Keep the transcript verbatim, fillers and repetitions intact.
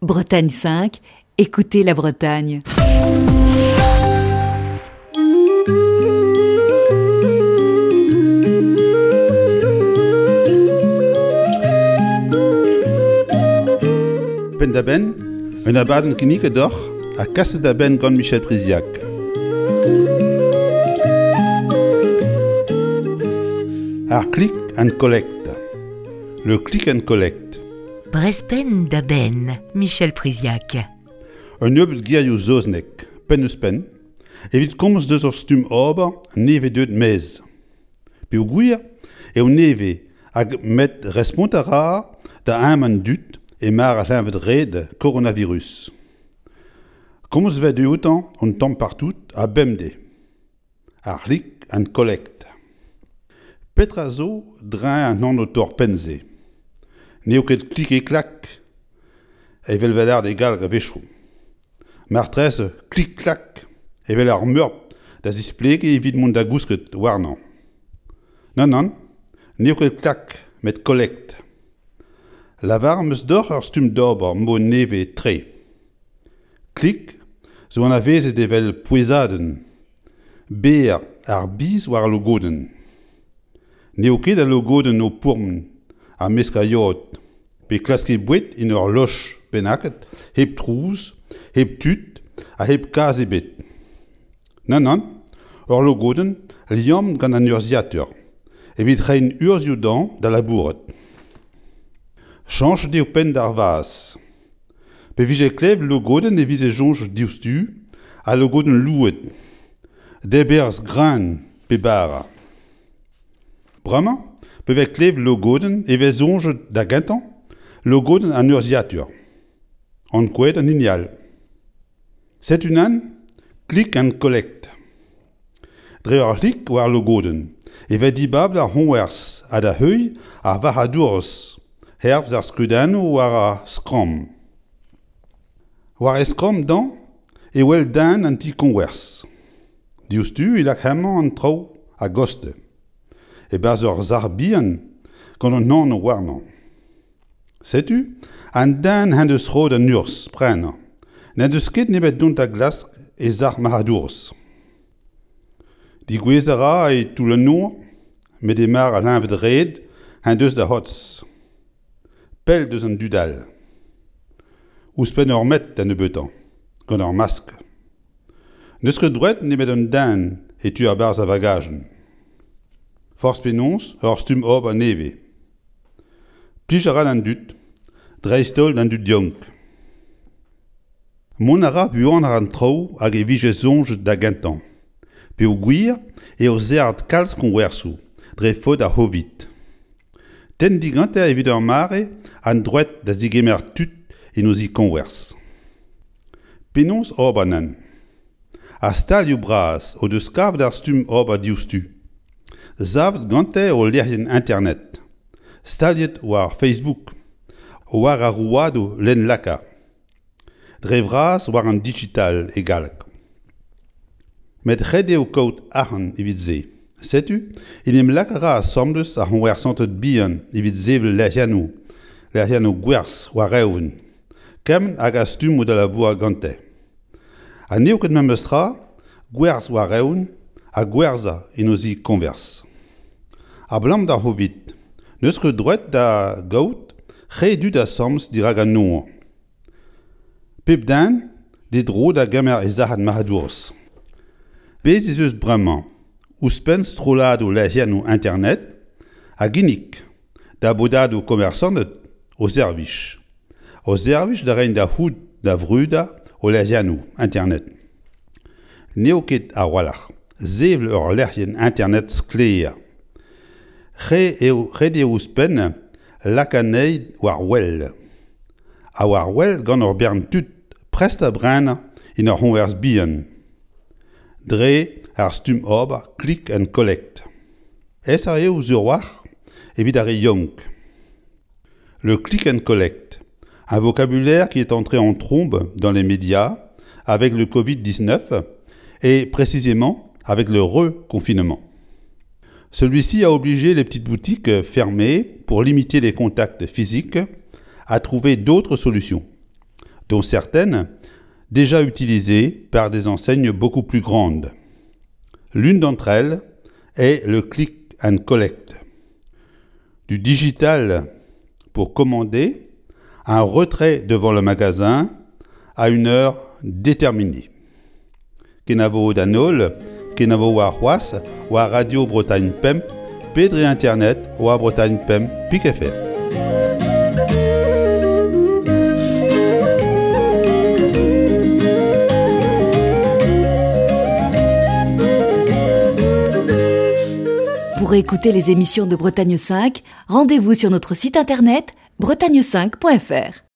Bretagne cinq, écoutez la Bretagne. Penn-da-benn, un abadenn kinniget deoc'h ha kaset da benn gant Michel Priziac. Ar click and collect. Le click and collect. Brezh penn da benn, Michel Priziac. Un nebeud gerioù saoznek, penn-ouzh-penn, evit komz deus ur stumm ober nevez deuet maez. Peogwir eo nevez hag met respont a ra da ezhomm an dud e mare ar c'hleñved-red koronavirus. Komz 'vez dioutañ un tamm partout ha bemdez. Ar click and collect. Petra zo dreñv an anv torr-penn-se? N'eo ket klik-ha-klak, evel 'vez lâret e galleg a-wechoù. Marteze klik-klak, evel ar meurbl da zisplegiñ evit mont da gousket warnañ. Nann, nann, n'eo ket klak, met collect. Lavaret 'm eus deoc'h ur stumm d'ober mod nevez-tre. Klik zo anavezet evel pouezadenn, berr ar biz war al logodenn. N'eo ket al logodenn o pourmen ha meskañ yod, pe klask boued en ur loch bennaket, hep trouz, hep tud ha hep kazh ebet. Nann, nann, ur logodenn liammet gant an urzhiataer, evit reiñ urzhioù dezhañ da labourat. Chañchet eo penn d'ar vazh. Pe vije klevet logodenn e vije soñjet diouzhtu al logodenn louet, debrerez greun pe bara. Bremañ, pe vez klevet logodenn e vez soñjet da gentañ logodenn an urzhiataer. Ankouaet an hini all. Setu unan, click and collect. Dre ur c'hlik war logodenn e vez dibabet ar c'hoñvers ha da heuilh ar varc'hadourez hervez ar skeudennoù war ar skramm. War e skramm dezhañ e wel den an ti-koñvers. Diouzhtu e lak hemañ an traoù a-gostez. E-barzh ur sac'h bihan gant un anv warnañ. Setu, an den en deus roet an urzh prenañ. N'en deus ket nemet dont da glask e sac'h marc'hadourezh. Degouezh a ra e toull an nor, met e mare ar c'hleñved-red en deus da c'hortoz. Pell deus an dud all. Ouzhpenn ur metr da nebeutañ, gant ur maskl. N'eus ket droed nemet un den e tu a-barzh ar vagajenn. Forzh penaos ur stumm ober nevez. Plij a ra d'an dud, dreist-holl d'an dud yaouank. Mont a ra buanoc'h an traoù hag e vije soñjet da gentañ. Peogwir eo serret kalz koñversoù dre faot ar C'hovid. Tenn digante evit ur mare an droed da zegemer tud en o zi-koñvers. Penaos ober neuze? Ar stalioù bras o deus kavet ar stumm ober diouzhtu. Savet gante o lec'hienn internet. Staliet war Facebook, war ar rouedadoù lenn-laka. Dre vras war an digital e galleg. Met ret eo kaout arc'hant evit se. Setu, en em lak a ra asambles ar c'hoñversanted bihan evit sevel lec'hiennoù, lec'hiennoù gwerzh war-eeun, kement hag ar stummoù da labourat gante. Ha n'eo ket memes tra gwerzh war-eeun ha gwerzhañ en o zi-koñvers. Abalamour d'ar C'hovid, n'eus ket droed da gaout re dud asambles dirak an nor. Pep den d'e dro da gemer e sac'had marc'hadourezh. Bez' ez eus bremañ ouzhpenn strolladoù lec'hiennoù internet a ginnig da bodadoù koñversanted o servij. O servij da reiñ da c'hoût da vrudañ o lec'hiennoù internet. N'eo ket a-walc'h sevel ur lec'hienn internet sklaer. Ret eo, ret eo ouzhpenn lakaat anezhi war wel. Ha war wel gant ur bern tud prest da brenañ en ur c'hoñvers bihan. Dre ar stumm ober click and collect. Aesoc'h eo sur-walc'h evit ar re yaouank. Le click and collect, un vocabulaire qui est entré en trombe dans les médias avec le covid dix-neuf et précisément avec le reconfinement. Celui-ci a obligé les petites boutiques fermées pour limiter les contacts physiques à trouver d'autres solutions. dont certaines déjà utilisées par des enseignes beaucoup plus grandes. L'une d'entre elles est le click and collect. Du digital pour commander un retrait devant le magasin à une heure déterminée. Kenavo d'an holl, kenavo warc'hoazh, war Radio Bretagne Pemp, pe dre internet war Bretagne Pemp pik F R. Pour écouter les émissions de Bretagne cinq, rendez-vous sur notre site internet bretagne cinq point F R.